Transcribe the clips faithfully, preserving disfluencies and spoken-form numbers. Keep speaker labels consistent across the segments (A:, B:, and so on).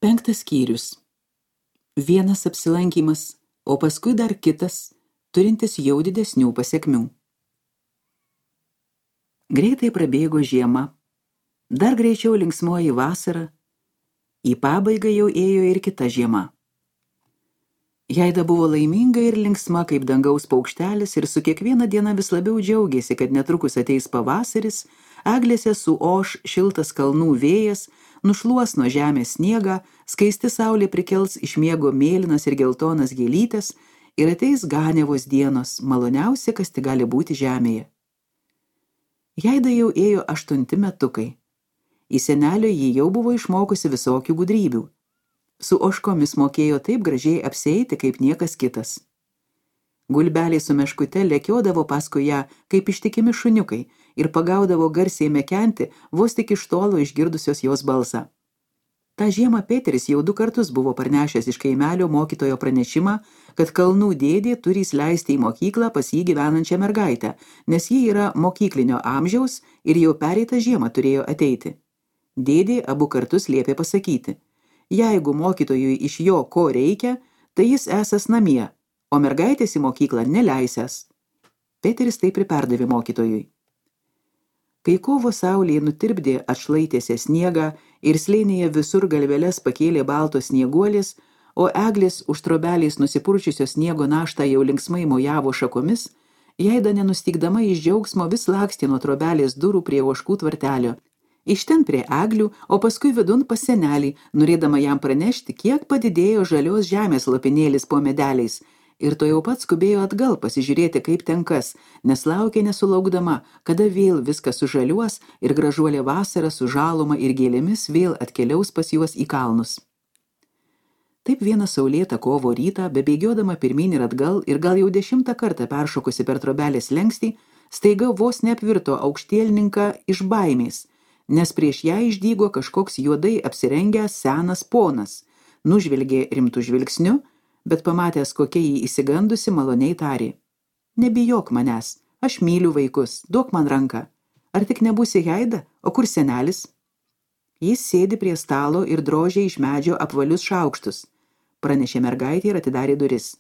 A: Penktas skyrius. Vienas apsilankymas, o paskui dar kitas, turintis jau didesnių pasekmių. Greitai prabėgo žiema, dar greičiau linksmoji vasara, į pabaigą jau ėjo ir kita žiema. Jaida buvo laiminga ir linksma kaip dangaus paukštelis ir su kiekviena diena vis labiau džiaugėsi, kad netrukus ateis pavasaris, eglėse suoš šiltas kalnų vėjas, nušluos nuo žemės sniegą, skaisti saulė prikels iš miego mėlynas ir geltonas gėlytes ir ateis ganiavos dienos, maloniausia, kas tik gali būti žemėje. Jaida jau ėjo aštunti metukai. Į senelio jį jau buvo išmokusi visokių gudrybių. Su ožkomis mokėjo taip gražiai apsieiti kaip niekas kitas. Gulbeliai su meškute lekiodavo paskui ją kaip ištikimi šuniukai ir pagaudavo garsiai mekenti, vos tik iš tolo išgirdusios jos balsą. Ta žiemą Peteris jau du kartus buvo parnešęs iš kaimelio mokytojo pranešimą, kad kalnų dėdė turi įsileisti į mokyklą pas jį gyvenančią mergaitę, nes ji yra mokyklinio amžiaus ir jau pereitą žiemą turėjo ateiti. Dėdė abu kartus liepė pasakyti: jeigu mokytojui iš jo ko reikia, tai jis esas namie, o mergaitės į mokyklą neleisęs. Peteris taip ir perdavė mokytojui. Kai kovo saulė nutirpdė atšlaitėse sniegą ir slėnyje visur galveles pakėlė baltos snieguolės, o eglės už trobeliais nusipurčiusios sniego naštą jau linksmai mojavo šakomis, Jaida nenustygdama iš džiaugsmo vis lakstė nuo trobelės durų prie ožkų tvartelio, iš ten prie eglių, o paskui vidun pas senelį, norėdama jam pranešti, kiek padidėjo žalios žemės lopinėlis po medeliais, ir to jau pat skubėjo atgal pasižiūrėti, kaip ten kas, nes laukė nesulaukdama, kada vėl viskas sužaliuos ir gražuolė vasara su žaluma ir gėlėmis vėl atkeliaus pas juos į kalnus. Taip vieną saulėtą kovo rytą, bebėgiodama pirmyn ir atgal ir gal jau dešimtą kartą peršokusi per trobelės lenkstį, staiga vos neapvirto aukštielninką iš baimės, nes prieš ją išdygo kažkoks juodai apsirengęs senas ponas, nužvelgė rimtų žvilgsniu, bet pamatęs, kokia jį įsigandusi, maloniai tarė: nebijok manęs, aš myliu vaikus, duok man ranką. Ar tik nebūsi Jaida, o kur senelis? Jis sėdi prie stalo ir drožia iš medžio apvalius šaukštus, pranešė mergaitė ir atidarė duris.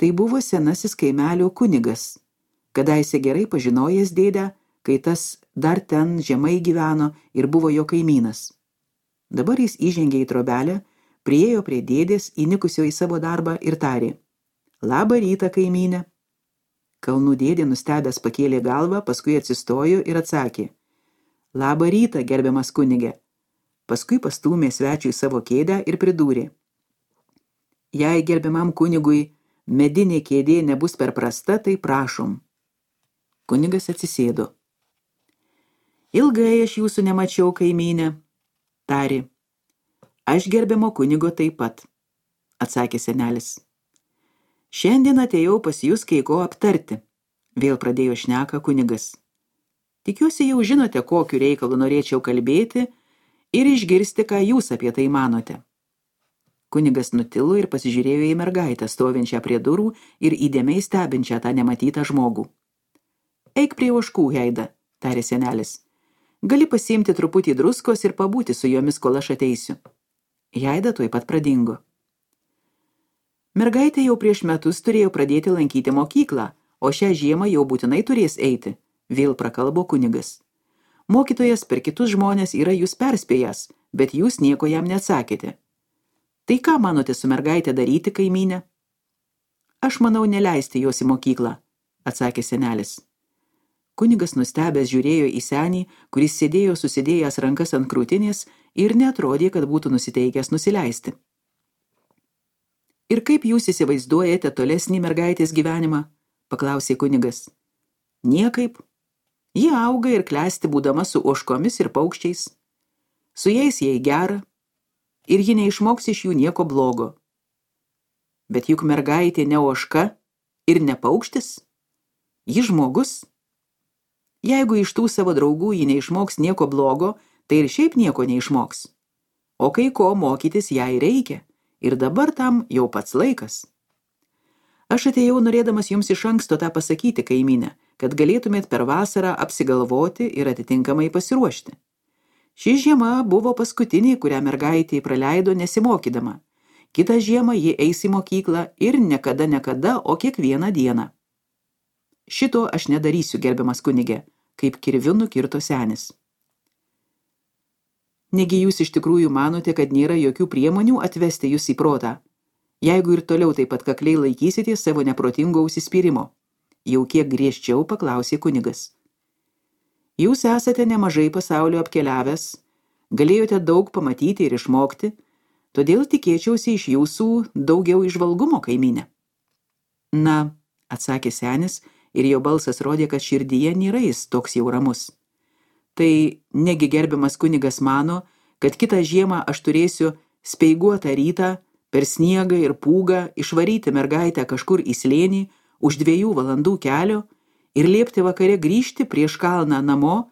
A: Tai buvo senasis kaimelio kunigas, kadaise gerai pažinojęs dėdę, kai tas dar ten žemai gyveno ir buvo jo kaimynas. Dabar jis įžengė į trobelę, priėjo prie dėdės, įnikusio į savo darbą ir tarė: labą rytą, kaimynė. Kalnų dėdė nustebęs pakėlė galvą, paskui atsistojo ir atsakė: labą rytą, gerbiamas kunige. Paskui pastūmė svečiui savo kėdę ir pridūrė: jei gerbiamam kunigui medinė kėdė nebus per prasta, tai prašom. Kunigas atsisėdo. Ilgai aš jūsų nemačiau, kaimynė, tarė. Aš gerbiamo kunigo taip pat, atsakė senelis. Šiandien atėjau pas jūs kai ko aptarti, vėl pradėjo šneką kunigas. Tikiuosi jau žinote, kokiu reikalu norėčiau kalbėti ir išgirsti, ką jūs apie tai manote. Kunigas nutilo ir pasižiūrėjo į mergaitę, stovinčią prie durų ir įdėmiai stebinčią tą nematytą žmogų. Eik prie ožkų, Jaida, tarė senelis. Gali pasiimti truputį druskos ir pabūti su jomis, kol aš ateisiu. Jaida tuoj pat pradingo. Mergaitė jau prieš metus turėjo pradėti lankyti mokyklą, o šią žiemą jau būtinai turės eiti, vėl prakalbo kunigas. Mokytojas per kitus žmonės yra jūs perspėjęs, bet jūs nieko jam neatsakėte. Tai ką manote su mergaitė daryti, kaimynė? Aš manau neleisti jos į mokyklą, atsakė senelis. Kunigas nustebęs žiūrėjo į senį, kuris sėdėjo susidėjęs rankas ant krūtinės ir neatrodė, kad būtų nusiteikęs nusileisti. Ir kaip jūs įsivaizduojate tolesnį mergaitės gyvenimą? Paklausė kunigas. Niekaip. Ji auga ir klesti būdama su ožkomis ir paukščiais. Su jais jai gera ir ji neišmoks iš jų nieko blogo. Bet juk mergaitė ne ožka ir ne paukštis. Ji žmogus. Jeigu iš tų savo draugų ji neišmoks nieko blogo, tai ir šiaip nieko neišmoks. O kai ko mokytis jai reikia, ir dabar tam jau pats laikas. Aš atėjau norėdamas jums iš anksto tą pasakyti, kaimynė, kad galėtumėt per vasarą apsigalvoti ir atitinkamai pasiruošti. Ši žiema buvo paskutinė, kurią mergaitė praleido nesimokydama. Kitą žiemą ji eis į mokyklą ir nekada nekada, o kiekvieną dieną. Šito aš nedarysiu, gerbiamas kunige, kaip kirviu nukirto senis. Negi jūs iš tikrųjų manote, kad nėra jokių priemonių atvesti jūs į protą, jeigu ir toliau taip pat kakliai laikysite savo neprotingo užsispyrimo? Jau kiek griežčiau paklausė kunigas. Jūs esate nemažai pasaulio apkeliavęs, galėjote daug pamatyti ir išmokti, todėl tikėčiausi iš jūsų daugiau įžvalgumo, kaimynė. Na, atsakė senis, ir jo balsas rodė, kad širdyje nėra jis toks jau ramus. Tai negi gerbiamas kunigas mano, kad kitą žiemą aš turėsiu speiguotą rytą per sniegą ir pūgą išvaryti mergaitę kažkur į slėnį už dviejų valandų kelio ir liepti vakare grįžti prieš kalną namo,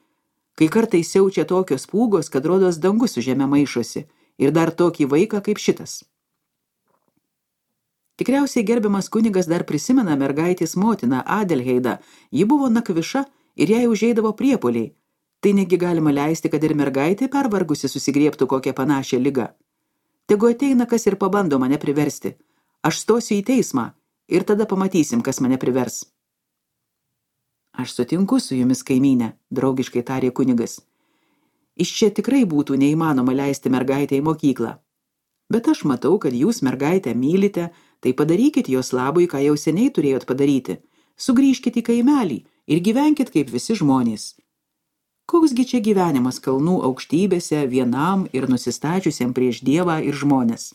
A: kai kartais siaučia tokios pūgos, kad rodos dangus su žeme maišosi, ir dar tokį vaiką kaip šitas. Tikriausiai gerbiamas kunigas dar prisimena mergaitės motiną Adelheidą. Ji buvo nakviša ir jai užeidavo priepuoliai. Tai negi galima leisti, kad ir mergaitė pervargusi susigriebtų kokią panašią ligą. Tegu ateina kas ir pabando mane priversti. Aš stosiu į teismą ir tada pamatysim, kas mane privers. Aš sutinku su jumis, kaimynė, draugiškai tarė kunigas. Iš čia tikrai būtų neįmanoma leisti mergaitę į mokyklą. Bet aš matau, kad jūs mergaitę mylite, tai padarykit jos labui, ką jau seniai turėjot padaryti. Sugrįžkit į kaimelį ir gyvenkit kaip visi žmonės. Koksgi čia gyvenimas kalnų aukštybėse vienam ir nusistačiusiam prieš Dievą ir žmones?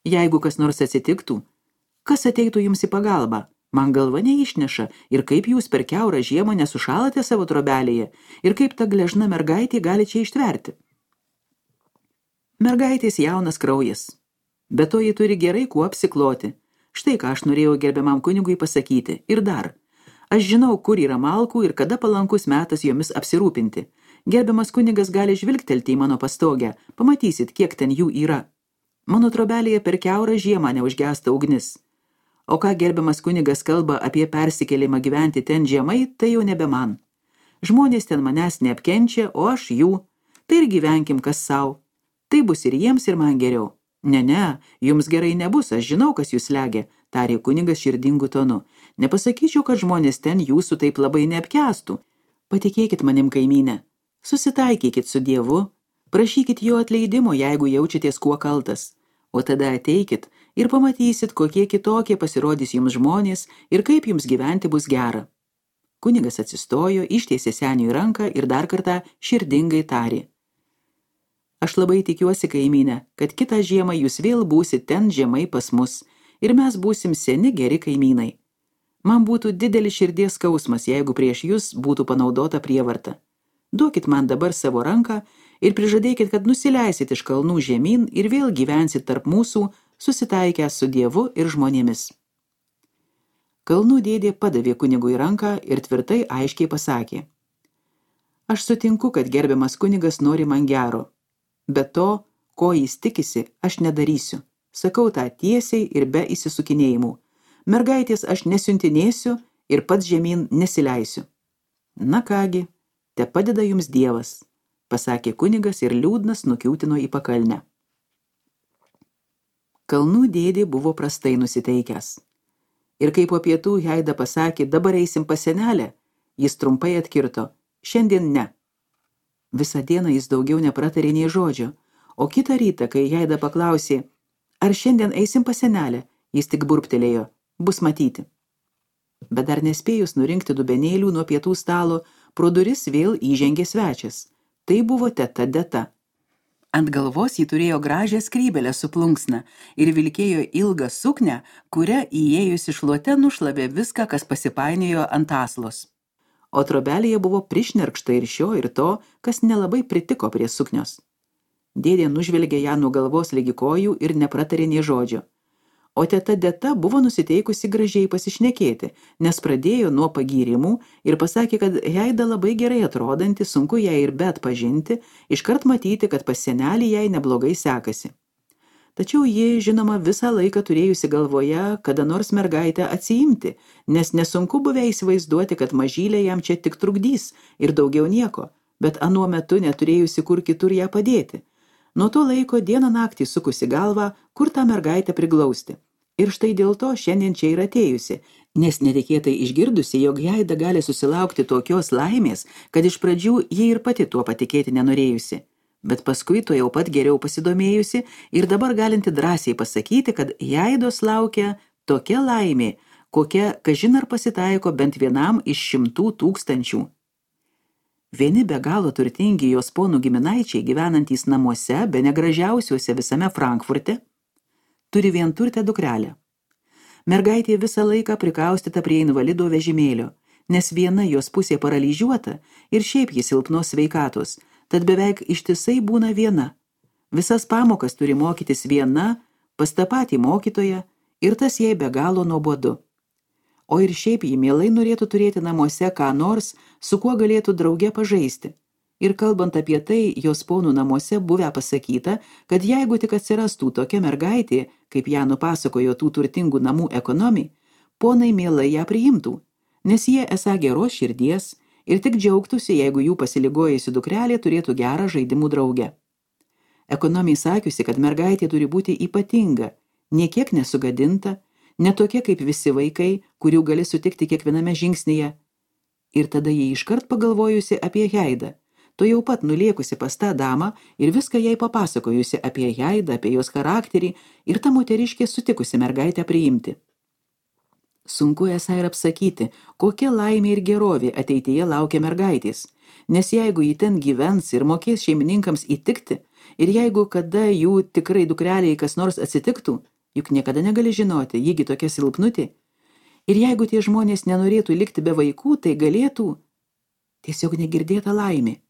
A: Jeigu kas nors atsitiktų, kas ateitų jums į pagalbą? Man galva neišneša, ir kaip jūs per kiaurą žiemą nesušalate savo trobelėje, ir kaip ta gležna mergaitė gali čia ištverti. Mergaitės jaunas kraujas, bet to ji turi gerai kuo apsikloti. Štai ką aš norėjau gerbiamam kunigui pasakyti. Ir dar, aš žinau, kur yra malkų ir kada palankus metas jomis apsirūpinti. Gerbiamas kunigas gali žvilgtelti į mano pastogę, pamatysit, kiek ten jų yra. Mano trobelėje per kiaurą žiemą neužgęsta ugnis. O ką gerbiamas kunigas kalba apie persikėlimą gyventi ten žiemai, tai jau nebe man. Žmonės ten manęs neapkenčia, o aš jų. Tai ir gyvenkim kas sau. Tai bus ir jiems, ir man geriau. Ne, ne, jums gerai nebus, aš žinau, kas jūs slegia, tarė kunigas širdingu tonu. Nepasakyčiau, kad žmonės ten jūsų taip labai neapkęstų. Patikėkit manim, kaimynė. Susitaikykit su Dievu, prašykit jo atleidimo, jeigu jaučiatės kuo kaltas. O tada ateikit ir pamatysit, kokie kitokie pasirodys jums žmonės ir kaip jums gyventi bus gera. Kunigas atsistojo, ištiesė seniui ranką ir dar kartą širdingai tarė. Aš labai tikiuosi, kaimynė, kad kitą žiemą jūs vėl būsit ten žemai pas mus ir mes būsim seni geri kaimynai. Man būtų didelis širdies skausmas, jeigu prieš jūs būtų panaudota prievarta. Duokit man dabar savo ranką ir prižadėkit, kad nusileisit iš kalnų žemyn ir vėl gyvensit tarp mūsų, susitaikę su Dievu ir žmonėmis. Kalnų dėdė padavė kunigui ranką ir tvirtai aiškiai pasakė. Aš sutinku, kad gerbiamas kunigas nori man gero. Bet to, ko jis tikisi, aš nedarysiu. Sakau tą tiesiai ir be įsisukinėjimų. Mergaitės aš nesiuntinėsiu ir pats žemyn nesileisiu. Na kągi, te padeda jums Dievas, pasakė kunigas ir liūdnas nukiūtino į pakalnę. Kalnų dėdė buvo prastai nusiteikęs. Ir kai po pietų Heida pasakė, dabar eisim pas senelę, jis trumpai atkirto, šiandien ne. Visą dieną jis daugiau nepratarė nei žodžio, o kitą rytą, kai Heida paklausė, ar šiandien eisim pas senelę, jis tik burptelėjo, bus matyti. Bet dar nespėjus nurinkti dubenėlių nuo pietų stalo, pro duris vėl įžengė svečias. Tai buvo teta Deta. Ant galvos ji turėjo gražią skrybelę su plunksna ir vilkėjo ilgą suknę, kuria įėjusi šluote nušlavė viską, kas pasipainiojo ant aslos. O trobelėje buvo prišnerkšta ir šio ir to, kas nelabai pritiko prie suknios. Dėdė nužvelgė ją nuo galvos ligi kojų ir nepratarė nė žodžio. O teta Deta buvo nusiteikusi gražiai pasišnekėti, nes pradėjo nuo pagyrimų ir pasakė, kad Heida labai gerai atrodanti, sunku ją ir be atpažinti, iškart matyti, kad pas senelį jai neblogai sekasi. Tačiau ji, žinoma, visą laiką turėjusi galvoje, kada nors mergaitę atsiimti, nes nesunku buvę įsivaizduoti, kad mažylė jam čia tik trukdys ir daugiau nieko. bet anuo metu neturėjusi kur kitur ją padėti. Nuo to laiko dieną naktį sukusi galvą, kur tą mergaitę priglausti. Ir štai dėl to šiandien čia ir atėjusi, nes netikėtai išgirdusi, jog Jaida gali susilaukti tokios laimės, kad iš pradžių ji ir pati tuo patikėti nenorėjusi. Bet paskui to jau pat geriau pasidomėjusi ir dabar galinti drąsiai pasakyti, kad Jaidos laukia tokia laimė, kokia kažin ar pasitaiko bent vienam iš šimtų tūkstančių. Vieni be galo turtingi jos ponų giminaičiai gyvenantys namuose, be negražiausiuose visame Frankfurte, turi vienturtę dukrelę. Mergaitė visą laiką prikaustyta prie invalido vežimėlio, nes viena jos pusė paralyžiuota ir šiaip jis silpnos sveikatos, tad beveik ištisai būna viena. Visas pamokas turi mokytis viena, pas tą patį mokytoją, ir tas jai be galo nuobodu. O ir šiaip ji mielai norėtų turėti namuose ką nors, su kuo galėtų drauge pažaisti. Ir kalbant apie tai, jos ponų namuose buvę pasakyta, kad jeigu tik atsirastų tokia mergaitė, kaip ją nupasakojo tų turtingų namų ekonomai, ponai mielai ją priimtų, nes jie esą geros širdies ir tik džiaugtųsi, jeigu jų pasiligojusi dukrelė turėtų gerą žaidimų draugę. Ekonomai sakiusi, kad mergaitė turi būti ypatinga, niekiek nesugadinta, netokia kaip visi vaikai, kurių gali sutikti kiekviename žingsnyje. Ir tada jį iškart pagalvojusi apie Jaidą, to jau pat nuliekusi pas tą damą ir viską jai papasakojusi apie Jaidą, apie jos charakterį ir ta moteriškė sutikusi mergaitę priimti. Sunku esą ir apsakyti, kokia laimė ir gerovė ateityje laukia mergaitės, nes jeigu ji ten gyvens ir mokės šeimininkams įtikti, ir jeigu kada jų tikrai dukreliai kas nors atsitiktų, juk niekada negali žinoti, jįgi tokia silpnutė, ir jeigu tie žmonės nenorėtų likti be vaikų, tai galėtų tiesiog negirdėta laimė.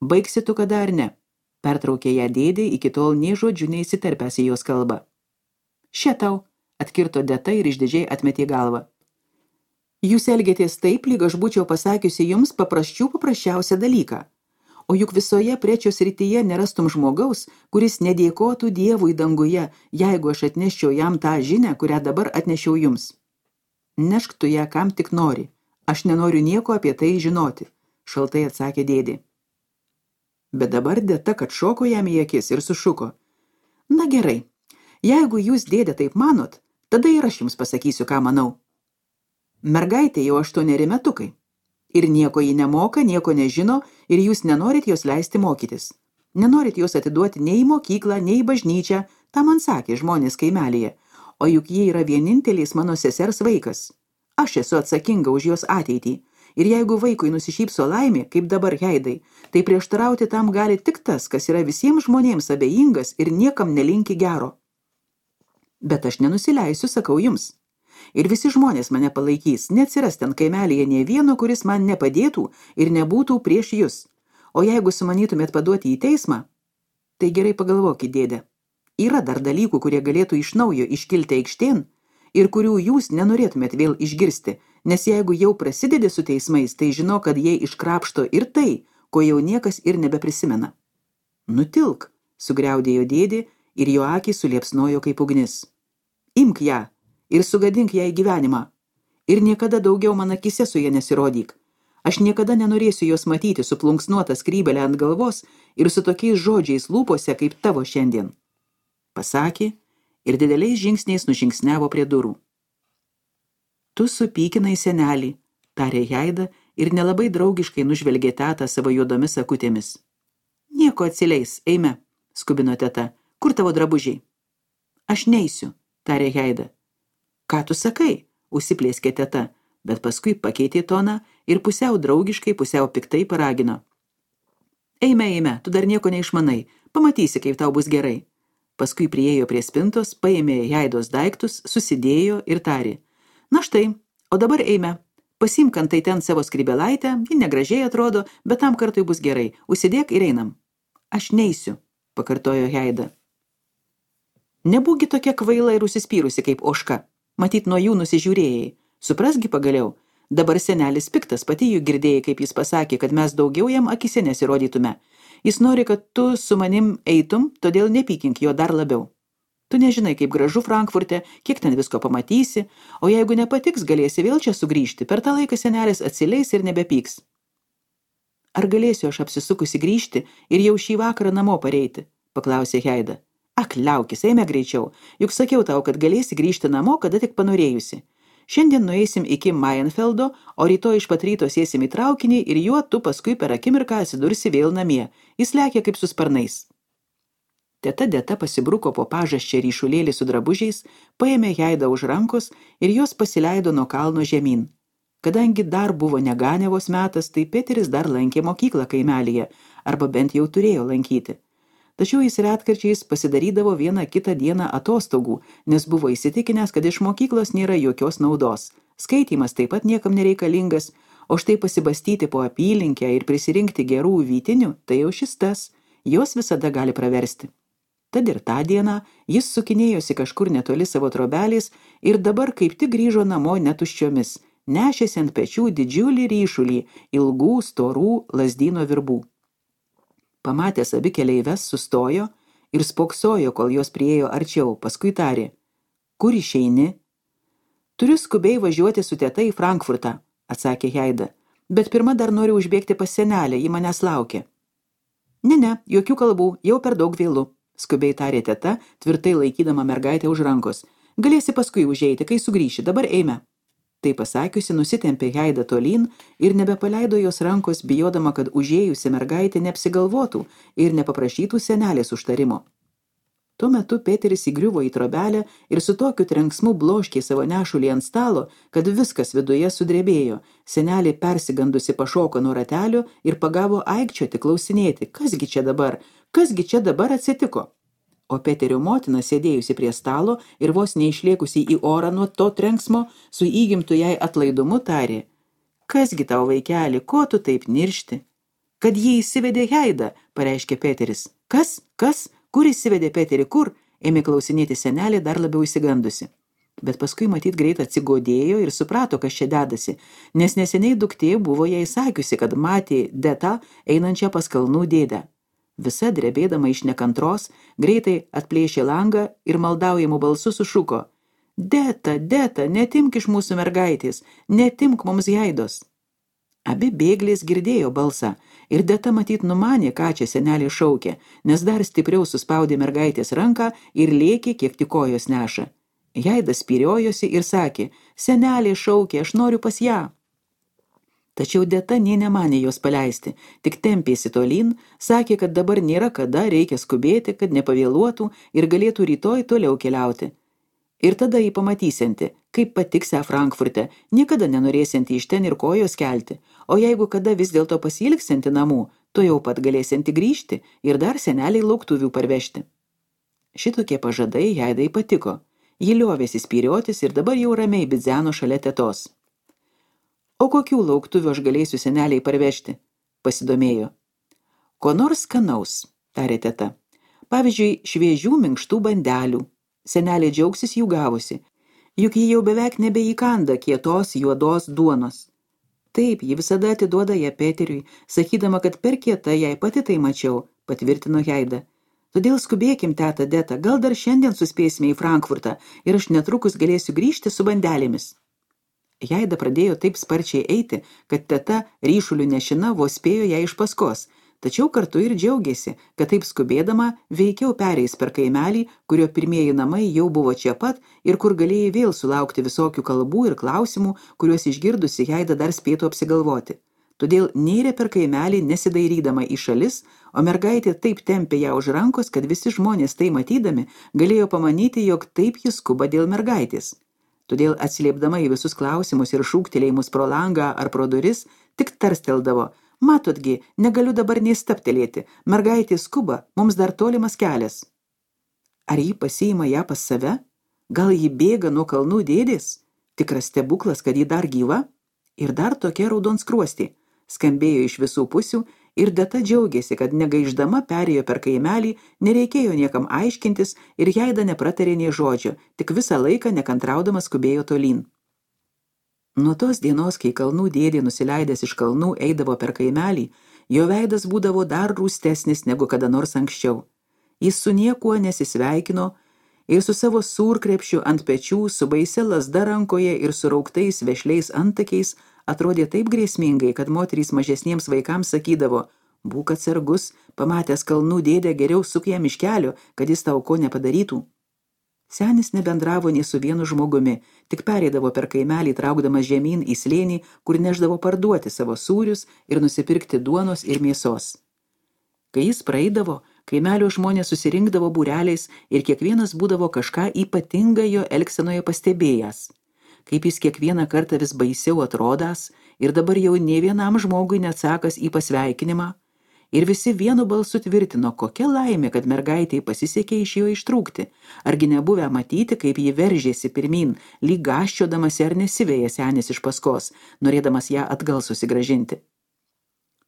A: Baigsi tu kada ar ne? Pertraukė ją dėdė, iki tol nė žodžiu neįsiterpęs į jos kalbą. Še tau, atkirto Deta ir išdidžiai atmetė galvą. Jūs elgėtės taip, lyg aš būčiau pasakiusi jums paprasčių paprasčiausią dalyką. O juk visoje Prečio srityje nerastum žmogaus, kuris nedėkotų Dievui danguje, jeigu aš atneščiau jam tą žinią, kurią dabar atnešiau jums. Nešk tu ją kam tik nori. Aš nenoriu nieko apie tai žinoti, šaltai atsakė dėdė. Bet dabar Deta, kad šoko jam į akis ir sušuko. Na gerai, jeigu jūs, dėdė, taip manot, tada ir aš jums pasakysiu, ką manau. Mergaitė jau aštuoneri metukai. Ir nieko ji nemoka, nieko nežino, ir jūs nenorit jos leisti mokytis. Nenorit jos atiduoti nei į mokyklą, nei į bažnyčią, tą man sakė žmonės kaimelyje, o juk ji yra vienintelis mano sesers vaikas. Aš esu atsakinga už jos ateitį, ir jeigu vaikui nusišypso laimė, kaip dabar Jaidai, tai prieštarauti tam gali tik tas, kas yra visiems žmonėms abejingas ir niekam nelinki gero. Bet aš nenusileisiu, sakau jums. Ir visi žmonės mane palaikys, neatsiras ten kaimelyje nė vieno, kuris man nepadėtų ir nebūtų prieš jūs. O jeigu sumanytumėt paduoti į teismą, tai gerai pagalvokit, dėdė. Yra dar dalykų, kurie galėtų iš naujo iškilti aikštėn ir kurių jūs nenorėtumėt vėl išgirsti, nes jeigu jau prasidedi su teismais, tai žino, kad jie iškrapšto ir tai, ko jau niekas ir nebeprisimena. Nutilk, sugriaudėjo dėdė ir jo akys suliepsnojo kaip ugnis. Imk ją ir sugadink jai gyvenimą. Ir niekada daugiau man akise su ja nesirodyk. Aš niekada nenorėsiu jos matyti su plunksnuota skrybelė ant galvos ir su tokiais žodžiais lūpose kaip tavo šiandien. Pasakė ir dideliais žingsniais nužingsniavo prie durų. Tu supykinai senelį, tarė Jaida ir nelabai draugiškai nužvelgė tetą savo juodomis akutėmis. Nieko atsileis, eime, skubino teta. Kur tavo drabužiai? Aš neisiu, tarė Jaida. Ką tu sakai? Užsiplėskė teta, bet paskui pakeitė toną ir pusiau draugiškai, pusiau piktai paragino. Eime, eime, tu dar nieko neišmanai, pamatysi, kaip tau bus gerai. Paskui priėjo prie spintos, paėmė Jaidos daiktus, susidėjo ir tarė. Na štai, o dabar eime. Pasimk antai ten savo skrybelaitę, ji negražiai atrodo, bet tam kartui bus gerai. Užsidėk ir einam. Aš neisiu, pakartojo Jaida. Nebūgi tokia kvaila ir užsispyrusi kaip ožka. Matyt, nuo jų nusižiūrėjai. Suprasgi pagaliau. Dabar senelis piktas, pati jų girdėjai, kaip jis pasakė, kad mes daugiau jam akise nesirodytume. Jis nori, kad tu su manim eitum, todėl nepykink jo dar labiau. Tu nežinai, kaip gražu Frankfurte, kiek ten visko pamatysi, o jeigu nepatiks, galėsi vėl čia sugrįžti. Per tą laiką senelis atsileis ir nebepyks. Ar galėsiu aš apsisukusi grįžti ir jau šį vakarą namo pareiti? Paklausė Heida. Ak, liaukis, eime greičiau, juk sakiau tau, kad galėsi grįžti namo, kada tik panorėjusi. Šiandien nueisim iki Mainfeldo, o rytoj iš pat ryto sėsim į traukinį ir juo tu paskui per akimirką atsidursi vėl namie. Jis lekia kaip su sparnais. Teta Deta pasibruko po pažasčią ryšulėlį su drabužiais, paėmė Heidą už rankos ir jos pasileido nuo kalno žemyn. Kadangi dar buvo neganiavos metas, tai Peteris dar lankė mokyklą kaimelyje, arba bent jau turėjo lankyti. Tačiau jis retkarčiais pasidarydavo vieną kitą dieną atostogų, nes buvo įsitikinęs, kad iš mokyklos nėra jokios naudos. Skaitymas taip pat niekam nereikalingas, o štai pasibastyti po apylinkę ir prisirinkti gerų vytinių, tai jau šis tas, jos visada gali praversti. Tad ir tą dieną jis sukinėjosi kažkur netoli savo trobelės ir dabar kaip tik grįžo namo netuščiomis, nešėsi ant pečių didžiulį ryšulį ilgų, storų lazdyno virbų. Pamatęs abi keleives sustojo ir spoksojo, kol jos priėjo arčiau, paskui tarė. Kur išeini? Turiu skubiai važiuoti su teta į Frankfurtą, atsakė Heida, bet pirma dar noriu užbėgti pas senelę, ji manęs laukia. Ne, ne, jokių kalbų, jau per daug vėlu, skubiai tarė teta, tvirtai laikydama mergaitę už rankos. Galėsi paskui užeiti, kai sugrįši, dabar eime. Tai pasakiusi, nusitempė Heidą tolyn ir nebepaleido jos rankos, bijodama, kad užėjusi mergaitė neapsigalvotų ir nepaprašytų senelės užtarimo. Tuo metu Peteris įgriuvo į trobelę ir su tokiu trenksmu bloškė savo nešulį ant stalo, kad viskas viduje sudrebėjo. Senelė persigandusi pašoko nuo ratelio ir pagavo aikčioti, klausinėti, kasgi čia dabar, kasgi čia dabar atsitiko. O Peterio motina, sėdėjusi prie stalo ir vos neišlėkusi į orą nuo to trenksmo, su įgimtu jai atlaidumu tarė. Kasgi tau, vaikeli, ko tu taip niršti? Kad jį įsivedė Heidą, pareiškė Peteris. Kas? Kas? Kur įsivedė Peterį? Kur? Ėmė klausinėti senelė dar labiau įsigandusi. Bet paskui matyt greit atsigodėjo ir suprato, kas čia dedasi, nes neseniai duktė buvo jai sakiusi, kad matė Detą einančią pas kalnų dėdę. Visa drebėdama iš nekantros, greitai atplėšė langą ir maldaujamų balsų sušuko. Deta, Deta, netimk iš mūsų mergaitės, netimk mums Heidos. Abi bėglės girdėjo balsą ir Deta matyt numanė, ką čia senelė šaukė, nes dar stipriau suspaudė mergaitės ranką ir lėkė, kiek tik kojos neša. Heida spyriojosi ir sakė, senelė šaukė, aš noriu pas ją. Tačiau Deta nė nemanė jos paleisti, tik tempėsi tolyn, sakė, kad dabar nėra kada, reikia skubėti, kad nepavėluotų ir galėtų rytoj toliau keliauti. Ir tada jį pamatysianti, kaip patiksią Frankfurte, niekada nenorėsianti iš ten ir kojos kelti, o jeigu kada vis dėlto pasilgsianti namų, to jau pat galėsianti grįžti ir dar seneliai lauktuvių parvežti. Šitokie pažadai Heidai patiko. Ji liovėsi spyriotis ir dabar jau ramiai bidzeno šalia tetos. O kokių lauktuvių aš galėsiu seneliai parvežti? Pasidomėjo. Ko nors skanaus, tarė teta. Pavyzdžiui, šviežių minkštų bandelių. Senelė džiaugsis jų gavusi. Juk ji jau beveik nebeįkanda kietos juodos duonos. Taip, ji visada atiduoda ją Peteriui, sakydama, kad per kieta jai pati tai mačiau, patvirtino Heida. Todėl skubėkim, teta Deta, gal dar šiandien suspėsime į Frankfurtą ir aš netrukus galėsiu grįžti su bandelėmis. Heida pradėjo taip sparčiai eiti, kad teta ryšulių nešina vos spėjo ją iš paskos, tačiau kartu ir džiaugėsi, kad taip skubėdama veikiau pereis per kaimelį, kurio pirmieji namai jau buvo čia pat ir kur galėjai vėl sulaukti visokių kalbų ir klausimų, kuriuos išgirdusi Heida dar spėtų apsigalvoti. Todėl nėrė per kaimelį nesidairydama į šalis, o mergaitė taip tempė ją už rankos, kad visi žmonės tai matydami galėjo pamanyti, jog taip jis skuba dėl mergaitės. Todėl atsiliepdama į visus klausimus ir šūktelėjimus pro langą ar pro duris, tik tarsteldavo, matotgi, negaliu dabar nei staptelėti, mergaitė skuba, mums dar tolimas kelias. Ar ji pasiima ją pas save? Gal ji bėga nuo kalnų dėdės? Tikras stebuklas, kad ji dar gyva? Ir dar tokia raudonskruostė. Skambėjo iš visų pusių ir Deta džiaugėsi, kad negaiždama perėjo per kaimelį, nereikėjo niekam aiškintis ir Heida nepratarė nė žodžio, tik visą laiką nekantraudamas skubėjo tolyn. Nuo tos dienos, kai kalnų dėdė nusileidęs iš kalnų eidavo per kaimelį, jo veidas būdavo dar rūstesnis negu kada nors anksčiau. Jis su niekuo nesisveikino ir su savo sūrkrepšiu ant pečių, su baisia lazda rankoje ir surauktais vešliais antakiais atrodė taip grėsmingai, kad moterys mažesniems vaikams sakydavo: būk atsargus, pamatęs kalnų dėdę, geriau suk jam iš kelio, kad jis tau ko nepadarytų. Senis nebendravo nei su vienu žmogumi, tik pereidavo per kaimelį, traukdamas žemyn į slėnį, kur neždavo parduoti savo sūrius ir nusipirkti duonos ir mėsos. Kai jis praeidavo, kaimelio žmonės susirinkdavo būreliais ir kiekvienas būdavo kažką ypatingą jo elgsenoje pastebėjęs. Kaip jis kiekvieną kartą vis baisiau atrodęs ir dabar jau nė vienam žmogui neatsakas į pasveikinimą, ir visi vienu balsu tvirtino, kokia laimė, kad mergaitei pasisekė iš jo ištrūkti, argi nebuvę matyti, kaip ji veržėsi pirmin, lyg gąsčiodamasi ar nesiveja senis iš paskos, norėdamas ją atgal susigrąžinti.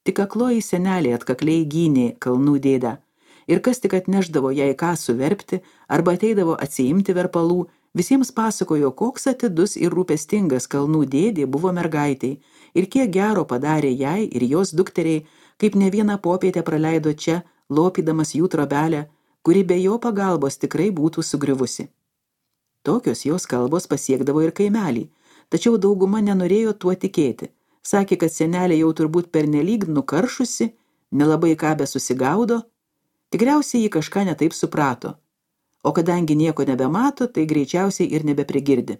A: Tik akloji senelė atkakliai gynė kalnų dėdę, ir kas tik atneždavo jai ką suverpti arba ateidavo atsiimti verpalų, visiems pasakojo, koks atidus ir rūpestingas kalnų dėdė buvo mergaitai ir kiek gero padarė jai ir jos dukteriai, kaip ne vieną popietę praleido čia, lopydamas jų trobelę, kuri be jo pagalbos tikrai būtų sugriuvusi. Tokios jos kalbos pasiekdavo ir kaimelį, tačiau dauguma nenorėjo tuo tikėti. Sakė, kad senelė jau turbūt pernelyg nukaršusi, nelabai ką besusigaudo, tikriausiai ji kažką netaip suprato, o kadangi nieko nebemato, tai greičiausiai ir nebeprigirdi.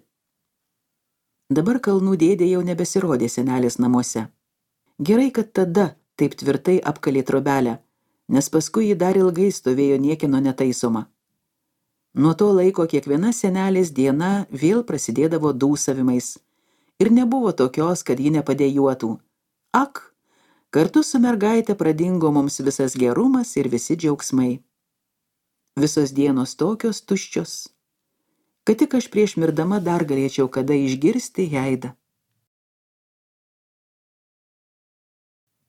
A: Dabar kalnų dėdė jau nebesirodė senelės namuose. Gerai, kad tada taip tvirtai apkalė trobelę, nes paskui ji dar ilgai stovėjo niekino netaisoma. Nuo to laiko kiekviena senelės diena vėl prasidėdavo dūsavimais ir nebuvo tokios, kad ji nepadėjuotų. Ak, kartu su mergaite pradingo mums visas gerumas ir visi džiaugsmai. Visos dienos tokios tuščios, kad tik aš prieš mirdama dar galėčiau kada išgirsti Heidą.